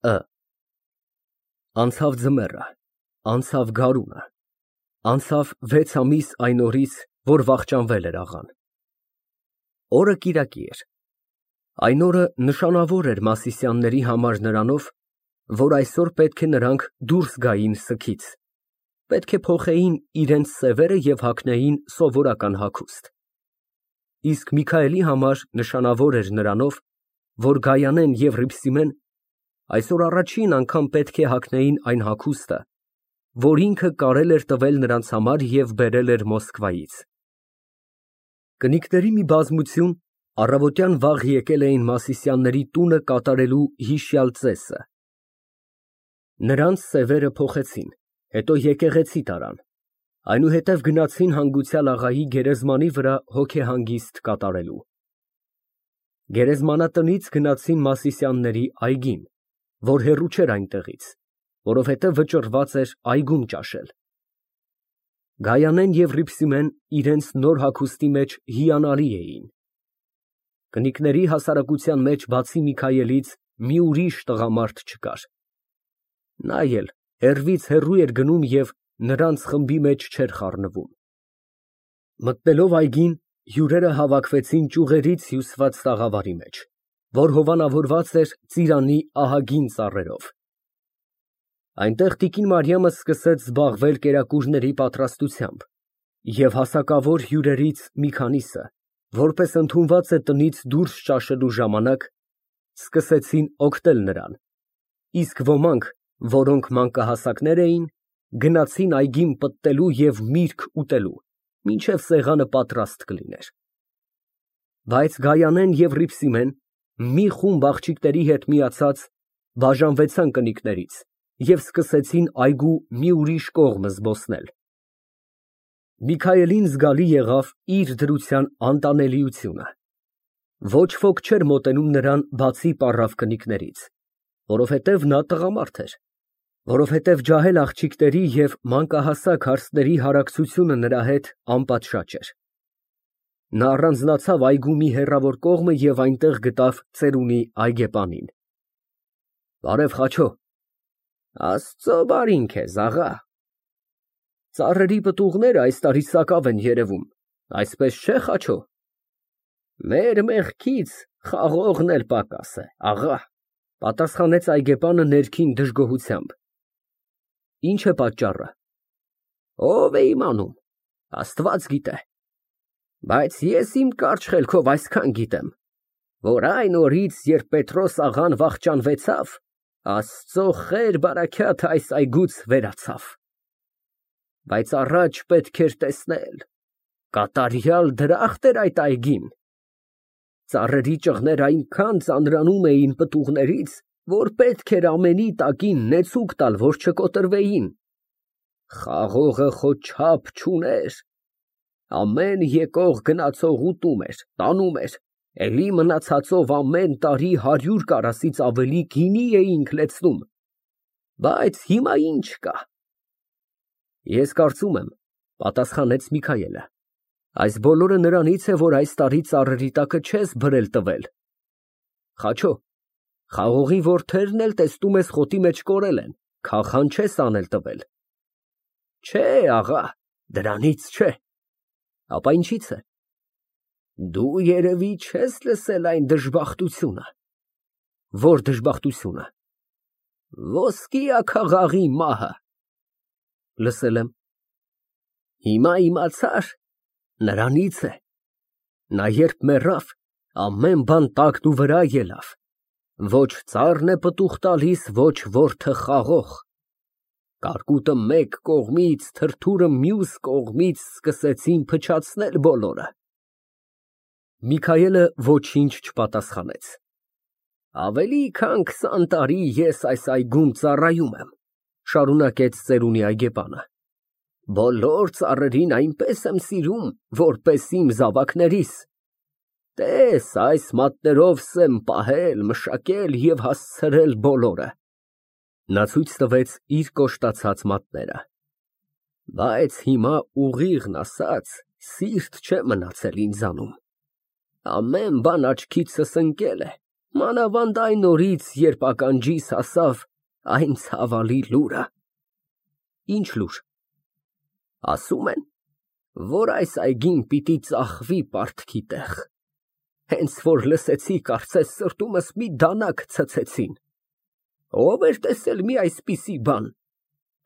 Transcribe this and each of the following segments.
Ը Անցավ ձմեռը, անցավ գարունը, անցավ 6 ամիս այն օրից, որ վախճանվել էր աղան։ Օրը կիրակի էր։ Այն օրը նշանավոր էր Մասիսյանների համար նրանով, որ այսօր պետք է նրանք դուրս գային սգից, պետք է փոխեին իրենց սևերը և հագնեին սովորական հագուստ։ Իսկ Միքայելի համար նշանավոր էր նրանով, որ Գայանեն և Հռիփսիմեն այսօր առաջին անգամ պետք է հագնեին այն հագուստը, որ ինքը կարել էր տվել նրանց համար և բերել էր Մոսկվայից։ Կնիկների մի բազմություն առավոտյան վաղ եկել էին Մասիսյանների տունը կատարելու հիշյալ ծեսը։ Նրանց սևերը փոխեցին, հետո եկեղեցի տարան, այնուհետև գնացին հանգուցյալ աղայի գերեզմանի վրա հոգեհանգիստ կատարելու։ Գերեզմանատնից գնացին Մասիսյանների այգին, որ հեռու չէր այնտեղից, որովհետև վճռված էր այգում ճաշել։ Գայանեն և Հռիփսիմեն իրենց նոր հագուստի մեջ հիանալի էին։ Կնիկների հասարակության մեջ բացի Միքայելից մի ուրիշ տղամարդ չկար։ Նա էլ հեռվից հեռու էր գնում և նրանց խմբի մեջ չէր խառնվում։ Մտնելով այգին, հյուրերը հավաքվեցին ճյուղերից հյուսված տաղավարի մեջ, որ հովանավորված էր ծիրանի ահագին ծառերով։ Այնտեղ տիկին Մարիամը սկսեց զբաղվել կերակուրների պատրաստությամբ, և հասակավոր հյուրերից մի քանիսը, որպես ընդունված է տնից դուրս ճաշելու ժամանակ, սկսեցին օգնել նրան, իսկ ոմանք, որոնք մանկահասակներ էին, գնացին այգին պտտելու և միրգ ուտելու, մինչև սեղանը պատրաստ կլիներ։ Բայց Գայանեն և Հռիփսիմեն, մի խումբ աղջիկների հետ միացած, բաժանվեցան կնիկներից և սկսեցին այգու մի ուրիշ կողմը զբոսնել։ Միքայելին զգալի եղավ իր դրության անտանելիությունը։ Ոչ ոք չէր մոտենում նրան բացի պառավ կնիկներից, որովհետև նա տղամարդ էր, որովհետև ջահել աղջիկների և մանկահասակ հարցների հարակցությունը նրա հետ անպատշաճ էր։ Նա առանձնացավ այգու մի հեռավոր կողմը և այնտեղ գտավ ծերունի այգեպանին։ Բարև, Խաչո։ Աստծո բարին քեզ, աղա։ Ծառերի պտուղները այս տարի սակավ են երևում, այսպես չէ, Խաչո։ Մեր մեղքից խաղողն էլ պակաս է, աղա, պատասխանեց այգեպանը ներքին դժգոհությամբ։ Ինչ է պատճառը։ Ով է իմանում, Աստված գիտե։ Բայց ես իմ կարճ խելքով այսքան գիտեմ, որ այն օրից, երբ Պետրոս աղան վախճանվեցավ, Աստծո խեր բարաքյաթը այս այգուց վերացավ։ Բայց առաջ պետք էր տեսնել, կատարյալ դրախտ էր այդ այգին։ Ծառերի ճղները այնքան ծանրանում էին պտուղներից, որ պետք էր ամենի տակին նեցուկ տալ, որ չկոտրվեին։ Խաղողը խոչապ չուներ։ Ամեն եկող գնացող ուտում էր, տանում էր, էլի մնացածով ամեն տարի 100 կարասից ավելի գինի էինք լցնում։ Բայց հիմա ինչ կա։ Ես կարծում եմ, պատասխանեց Միքայելը, այս բոլորը նրանից է, որ այս տարի ծառերի տակը չես բրել տվել։ Խաչո, խաղողի որդերն էլ տեսնում ես խոտի մեջ կորել են, քախան չես անել տվել։ Չէ, աղա, դրանից չէ։ Ապա ինչի՞ց է։ Դու երևի չես լսել այն դժբախտությունը։ Ո՞ր դժբախտությունը։ Ոսկի աքաղաղի մահը։ Լսել եմ։ Հիմա իմացար, նրանից է։ Նա երբ մեռավ, ամեն բան տակն ու վրա ելավ։ Ոչ ծառն է պտուղ տալիս, ոչ որդը խաղող։ Կարկուտը մեկ կողմից, թրթուրը մյուս կողմից սկսեցին փչացնել բոլորը։ Միքայելը ոչինչ չպատասխանեց։ Ավելի քան 20 տարի ես այս այգում ծառայում եմ, շարունակեց ծերունի այգեպանը։ Բոլոր ծառերին այնպես եմ սիրում, որպես իմ զավակներիս։ Տես, այս մատներովս եմ պահել, մշակել և հասցրել բոլորը։ Նա ցույց տվեց իր կոշտացած մատները։ Բայց հիմա ուղիղն ասած, սիրտ չէ մնացել ինձանում։ Ամեն բան աչքիցս ընկել է, Մանավանդ այն օրից, երբ ականջիս հասավ այն ցավալի լուրը։ Ինչ լուր։ Ասում են, որ այս այգին պիտի ծախվի պարտքի տեղ։ Հենց որ լսեցի, կարծես սրտումս մի դանակ ցցեցին։ Ով էր տեսել մի այսպիսի բան։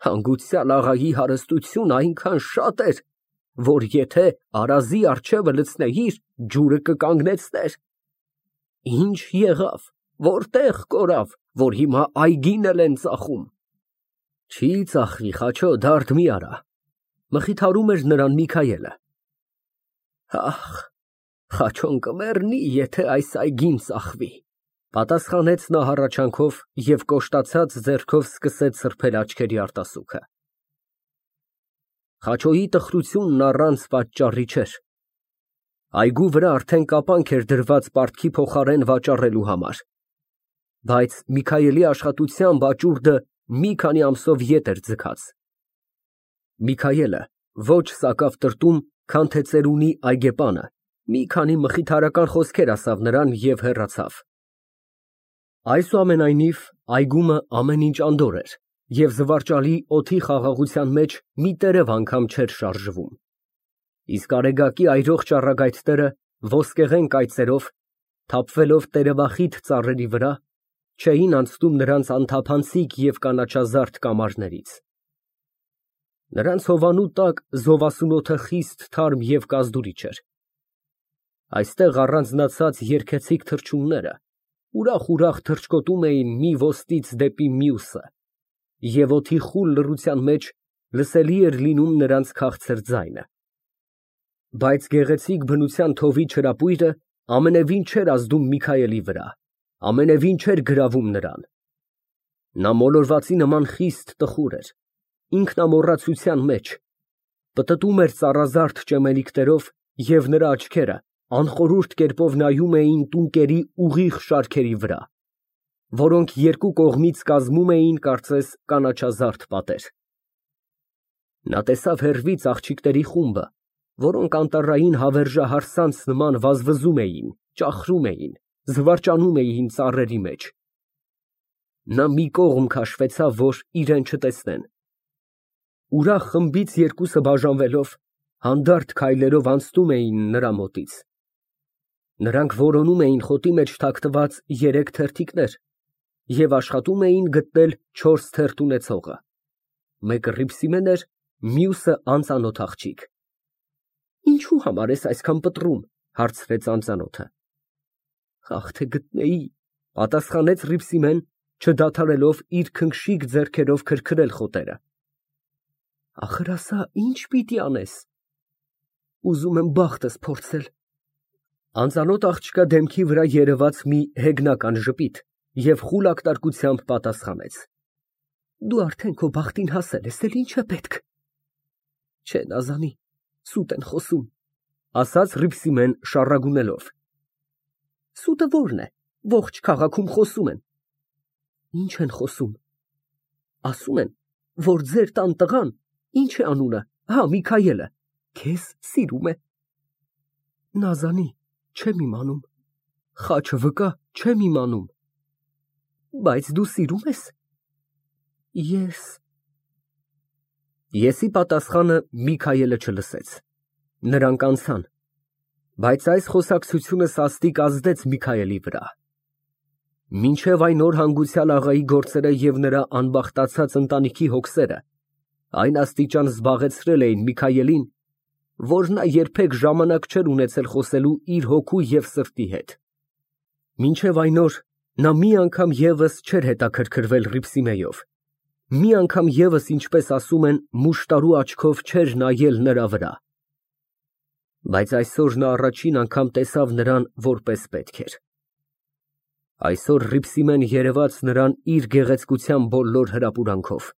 Հանգուցյալ աղայի հարստությունը այնքան շատ էր, որ եթե արազի առջևը լցնեիր, ջուրը կկանգնեցներ։ Ինչ եղավ, որտեղ կորավ, որ հիմա այգին էլ են ծախում։ Չի ծախվի, Խաչո, դարդ մի արա, մխիթարում էր նրան Միքայելը։ Ախ, Խաչոն կմեռնի, եթե այս այգին ծախվի, պատասխանեց նա հառաչանքով և կոշտացած ձեռքով սկսեց սրբել աչքերի արտասուքը։ Խաչոյի տխրությունն առանց պատճառի չէր։ Այգու վրա արդեն կապանք էր դրված պարտքի փոխարեն վաճառելու համար, բայց Միքայելի աշխատությամբ աճուրդը մի քանի ամսով ետ էր ձգած։ Միքայելը ոչ սակավ տրտում, քան թե ծերունի այգեպանը, մի քանի մխիթարական խոսքեր ասավ նրան և հեռացավ։ Այսուամենայնիվ, այգումը ամեն ինչ անդորր էր, և զվարճալի օդի խաղաղության մեջ մի տերև անգամ չէր շարժվում։ Իսկ արեգակի այրող ճառագայթները ոսկեղեն կայծերով, թափվելով տերևախիտ ծառերի վրա, չէին անցնում նրանց անթափանցիկ և կանաչազարդ կամարներից։ Նրանց հովանու տակ զովասունոթը խիստ թարմ և կազդուրիչ էր։ Այստեղ առանձնացած երգեցիկ թռչունները ուրախ թռչկոտում էին մի ոստից դեպի մյուսը, և օդի խուլ լռության մեջ լսելի էր լինում նրանց քաղցր ձայնը։ Բայց գեղեցիկ բնության թովի չրապույրը ամենևին չէր ազդում Միքայելի վրա, ամենևին չէր գրավում նրան։ Նա մոլորվածի նման խիստ տխուր էր, ինքնամոռացության մեջ, պտտում էր ծառազարդ ճեմելիքներով և նրա աչքերը անխորհուրդ կերպով նայում էին տունկերի ուղիղ շարքերի վրա, որոնք երկու կողմից կազմում էին, կարծես, կանաչազարդ պատեր։ Նա տեսավ հեռվից աղջիկների խումբը, որոնք անտառային հավերժահարսանց նման վազվզում էին, ճախրում էին, զվարճանում էին ծառերի մեջ։ Նա մի կողմ քաշվեցավ, որ իրեն չտեսնեն։ Ուրախ խմբից երկուսը բաժանվելով, հանդարտ քայլերով անցնում էին նրա մոտից։ Նրանք որոնում էին խոտի մեջ թաքնված երեք թերթիկներ և աշխատում էին գտնել չորս թերթ ունեցողը։ Մեկը Հռիփսիմեն էր, մյուսը անծանոթ աղջիկ։ Ինչու համար ես այսքան պտռում, հարցրեց անծանոթը։ Ախ, թե գտնեի, պատասխանեց Հռիփսիմեն, չդադարելով իր քնքշիկ ձեռքերով քրքրել խոտերը։ Ախր ասա, ինչ պիտի անես։ Ուզում եմ բախտս փորձել։ Անծանոթ աղջկա դեմքի վրա երևաց մի հեգնական ժպիտ և խուլ ակտարկությամբ պատասխանեց. Դու արդեն քո բախտին հասել ես, էլ ինչ է պետք։ Չէ, Նազանի, սուտ են խոսում, ասաց Հռիփսիմեն շառագունելով։ Սուտը որն է, ողջ քաղաքում խոսում են։ Ինչ են խոսում։ Ասում են, որ ձեր տան տղան, ինչ է անունը, հա, Միքայելը, քեզ սիրում է։ Նազանի, չեմ իմանում, խաչը վկա, չեմ իմանում։ Բայց դու սիրում ես։ Եսի պատասխանը Միքայելը չլսեց։ Նրանք անցան, բայց այս խոսակցությունը սաստիկ ազդեց Միքայելի վրա։ Մինչև այն օր հանգուցյալ աղայի գործերը և նրա անբախտացած ընտանիքի հոգսերը այն աստիճան զբաղեցրել էին Միքայելին, որ նա երբեք ժամանակ չէր ունեցել խոսելու իր հոգու և սրտի հետ։ Մինչև այն օր նա մի անգամ ևս չէր հետաքրքրվել Հռիփսիմեով, մի անգամ ևս, ինչպես ասում են, մուշտարու աչքով չէր նայել նրա վրա։ Բայց այսօր նա առաջին անգամ տեսավ նրան որպես պետք էր։ Այսօր Հռիփսիմեն երևաց նրան իր գեղեցկության բոլոր հրապուրանքով։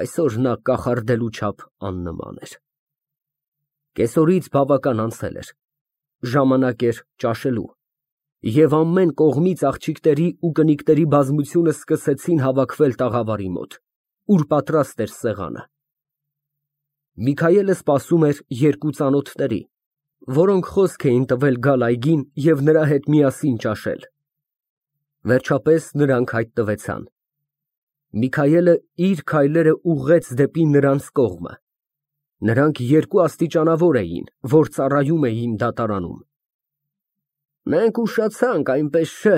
Այսօր նա կախարդելու չափ աննման էր։ Կեսօրից բավական անցել էր, ժամանակ էր ճաշելու, և ամեն կողմից աղջիկների ու կնիկների բազմությունը սկսեցին հավաքվել տաղավարի մոտ, ուր պատրաստ էր սեղանը։ Միքայելը սպասում էր երկու ծանոթների, որոնք խոսք էին տվել գալ այգին և նրա հետ միասին ճաշել։ Վերջապես նրանք հայտնվեցան։ Միքայելը իր քայլերը ուղղեց դեպի նրանց կողմը։ Նրանք երկու աստիճանավոր էին, որ ծառայում էին դատարանում։ Մենք ուշացանք, այնպես չէ,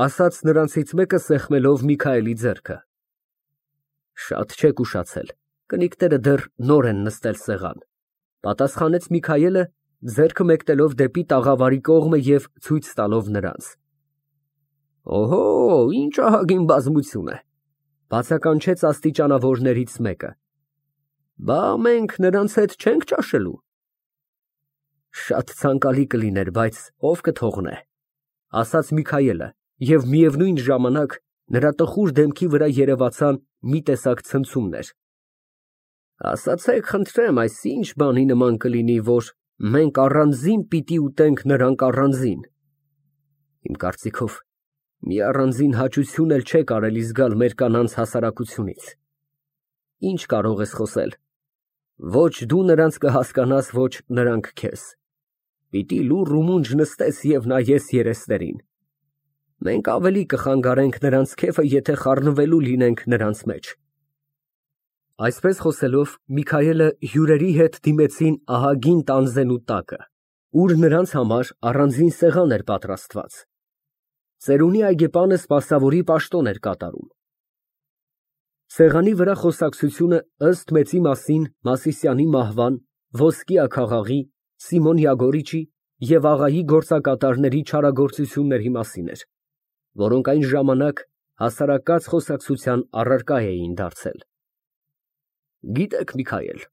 ասաց նրանցից մեկը սեղմելով Միքայելի ձեռքը։ Շատ չեք ուշացել, կնիկները դեռ նոր են նստել սեղան, պատասխանեց Միքայելը, ձեռքը մեկնելով դեպի տաղավարի կողմը և ցույց տալով նրանց։ Օհո, ինչ ահագին բազմություն է, բացականչեց աստիճանավորներից մեկը։ Բա մենք նրանց հետ չենք ճաշելու։ Շատ ցանկալի կլիներ, բայց ով կթողնե, ասաց Միքայելը, և միևնույն ժամանակ նրա տխուր դեմքի վրա երևացան մի տեսակ ցնցումներ։ Ասացեք, խնդրեմ, այս ինչ բանի նման կլինի, որ մենք առանձին պիտի ուտենք, նրանք առանձին։ Իմ կարծիքով, մի առանձին հաճություն էլ չէ կարելի զգալ մեր կանանց հասարակությունից։ Ինչ կարող ես խոսել։ Ոչ դու նրանց կհասկանաս, ոչ նրանք քեզ։ Պիտի լուռ ու մունջ նստես և նայես երեսներին։ Մենք ավելի կխանգարենք նրանց քեֆը, եթե խառնվելու լինենք նրանց մեջ։ Այսպես խոսելով, Միքայելը հյուրերի հետ դիմեցին ահագին տանձենու տակը, ուր նրանց համար առանձին սեղան էր պատրաստված։ Ծերունի այգեպանը սպասավորի պաշտոն էր կատարում։ Սեղանի վրա խոսակցությունը ըստ մեծի մասին Մասիսյանի մահվան, ոսկի աքաղաղի, Սիմոն Յագորիչի և աղայի գործակատարների չարագործությունների մասին էր, որոնք այն ժամանակ հասարակած խոսակցության առարկա էին դարձել։ Գիտեք, Միքայել,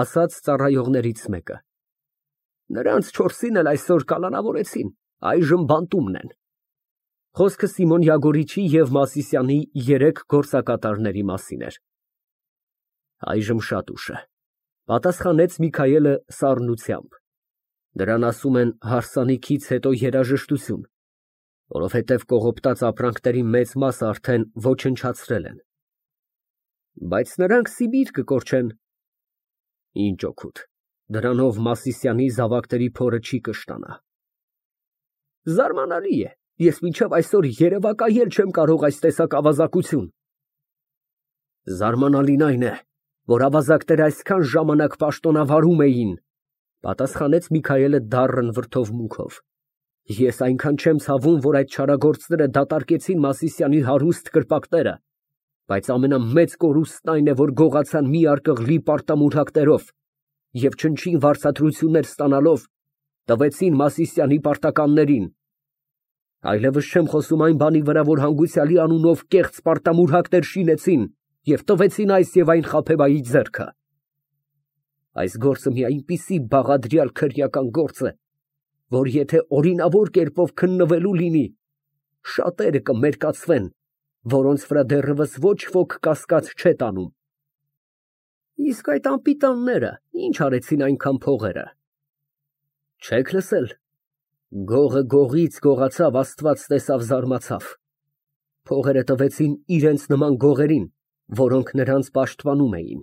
ասաց ծառայողներից մեկը, նրանց 4-ին էլ այսօր կալանավորեցին, այժմ բանտումն են։ Խոսքը Սիմոն Յագորիչի և Մասիսյանի 3 գործակատարների մասին էր։ Այժմ շատ ուշ է, պատասխանեց Միքայելը սառնությամբ։ Դրան ասում են հարսանիքից հետո երաժշտություն, որովհետև կողոպտած ապրանքների մեծ մասը արդեն ոչնչացրել են։ Բայց նրանք Սիբիր կկորչեն։ Ինչ օգուտ, դրանով Մասիսյանի զավակների փորը չի կշտանա։ Զարմանալի է, ես մինչև այսօր երևակայել չեմ կարող այս տեսակ ավազակություն։ Զարմանալին այն է, որ ավազակները այսքան ժամանակ պաշտոնավարում էին, պատասխանեց Միքայելը դառն վրդովմունքով։ Ես այնքան չեմ ցավում, որ այդ չարագործները դատարկեցին Մասիսյանի հարուստ կրպակները, բայց ամենամեծ կորուստն այն է, որ գողացան մի արկղլի պարտամուրհակներով և չնչին վարձատրություններ ստանալով տվեցին Մասիսյանի պարտականներին։ Այլևս չեմ խոսում այն բանի վրա, որ հանգուցյալի անունով կեղծ պարտամուրհակներ շինեցին և տվեցին այս և այն Խաբեբայի ձեռքը։ Այս գործը մի այնպիսի բաղադրյալ քրեական գործ է, որ եթե օրինավոր կերպով քննվելու լինի, շատերը կմերկացվեն, որոնց վրա դեռևս ոչ ոք կասկած չէ տանում։ Իսկ այդ անպիտանները ինչ արեցին այնքան փողերը։ Չեք լսել։ Գողը գողից գողացավ, Աստված տեսավ, զարմացավ։ Փողերը տվեցին իրենց նման գողերին, որոնք նրանց պաշտպանում էին։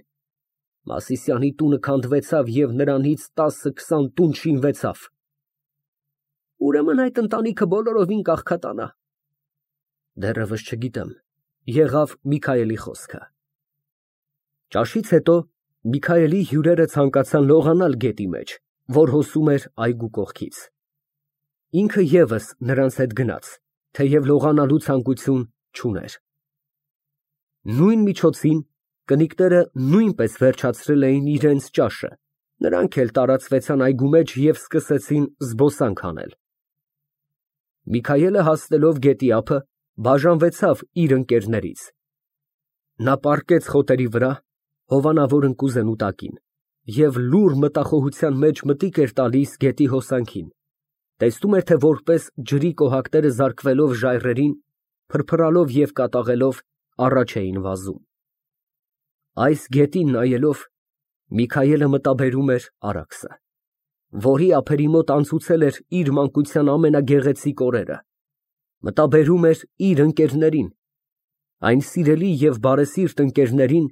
Մասիսյանի տունը քանդվեցավ և նրանից 10-20 տուն շինվեցավ։ Ուրեմն այդ ընտանիքը բոլորովին կաղքատանա։ Դեռևս չգիտեմ, եղավ Միքայելի խոսքը։ Ճաշից հետո Միքայելի հյուրերը ցանկացան լողանալ գետի մեջ, որ հոսում էր այգու կողքից։ Ինքը ևս նրանց հետ գնաց, թեև լողանալու ցանկություն չուներ։ Նույն միջոցին կնիկները նույնպես վերջացրել էին իրենց ճաշը, նրանք էլ տարածվեցան այգու մեջ և սկսեցին զբոսանք անել։ Միքայելը հասնելով գետի ափը, բաժանվեցավ իր ընկերներից։ Նա պառկեց խոտերի վրա, հովանավոր ընկուզենու տակին, և լուռ մտախոհության մեջ մտիկ էր տալիս գետի հոսանքին, տեսնում էր, թե որպես ջրի կոհակները զարկվելով ժայռերին, փրփրալով և կատաղելով առաջ էին վազում։ Այս գետին նայելով Միքայելը մտաբերում էր Արաքսը, որի ափերի մոտ անցուցել էր իր մանկության ամենագեղեցիկ օրերը, մտաբերում էր իր ընկերներին, այն սիրելի և բարեսիրտ ընկերներին,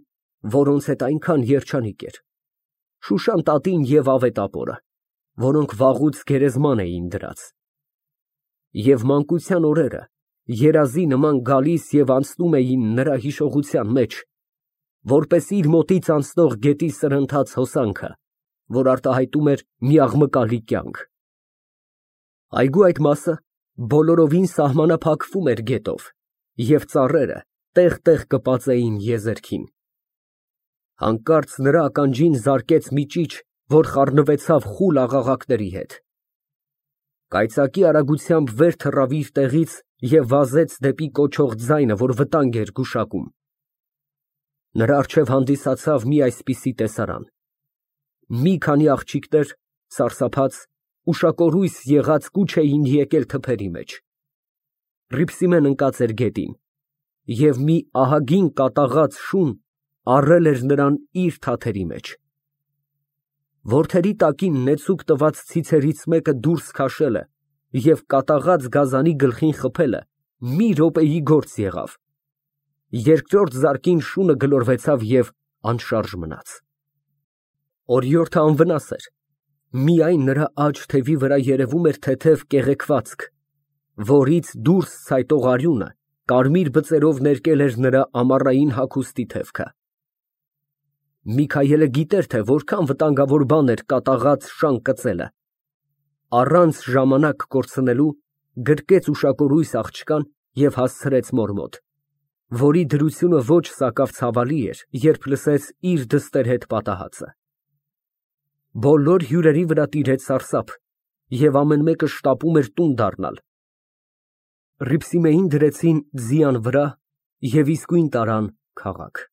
որոնց հետ այնքան երջանիկ էր, Շուշան տատին և Ավետապորը, որոնք վաղուց գերեզման էին դրած։ Եվ մանկության օրերը երազի նման գալիս և անցնում էին նրա հիշողության մեջ, որպես իր մոտից անցնող գետի սրընթաց հոսանքը, որ արտահայտում էր մի աղմկալի կյանք։ Այգու այդ մասը բոլորովին սահմանափակվում էր գետով, և ծառերը տեղ֊տեղ կպած էին եզերքին։ Հանկարծ նրա ականջին զարկեց մի ճիչ, որ խառնվեցավ խուլ աղաղակների հետ։ Կայծակի արագությամբ վեր թռավ իր տեղից և վազեց դեպի կոչող ձայնը, որ վտանգ էր գուշակում։ Նրա առջև հանդիսացավ մի այսպիսի տեսարան. մի քանի աղջիկներ, սարսափած, ուշակորույս եղած կուչ էին եկել թփերի մեջ։ Հռիփսիմեն ընկած էր գետին, և մի ահագին կատաղած շուն առել էր նրան իր թաթերի մեջ։ Որդերի տակին նեցուկ տված ցիցերից մեկը դուրս քաշելը և կատաղած գազանի գլխին խփելը մի րոպեի գործ եղավ։ Երկրորդ զարկին շունը գլորվեցավ և անշարժ մնաց։ Օրիորդը անվնաս էր, միայն նրա աջ թևի վրա երևում էր թեթև կեղեքվածք, որից դուրս ցայտող արյունը կարմիր բծերով ներկել էր նրա ամառային հագուստի թևքը։ Միքայելը գիտեր, թե որքան վտանգավոր բան էր կատաղած շան կծելը։ Առանց ժամանակ կորցնելու գրկեց ուշակորույս աղջկան և հասցրեց մոր մոտ, որի դրությունը ոչ սակավ ցավալի էր, երբ լսեց իր դստեր հետ պատահածը։ Բոլոր հյուրերի վրա տիրեց սարսափ, և ամեն մեկը շտապում էր տուն դառնալ։ Հռիփսիմեին դրեցին ձիան վրա և իսկույն տարան քաղաք։